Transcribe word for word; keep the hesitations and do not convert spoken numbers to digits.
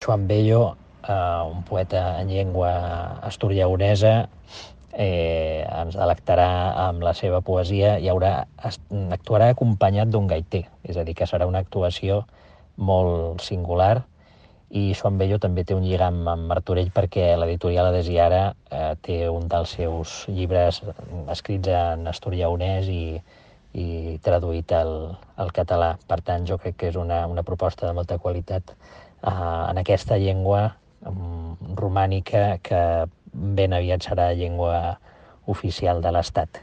Joan Bello, eh, un poeta en llengua asturiaonesa, eh, ens delectarà amb la seva poesia i haurà, actuarà acompanyat d'un gaiter, és a dir, que serà una actuació molt singular. I Joan Bello també té un lligam amb Martorell perquè l'editorial Adesiara eh, té un dels seus llibres escrits en asturiaonès i, i traduït al, al català. Per tant, jo crec que és una, una proposta de molta qualitat eh, en aquesta llengua um, romànica que ben aviat serà llengua oficial de l'Estat.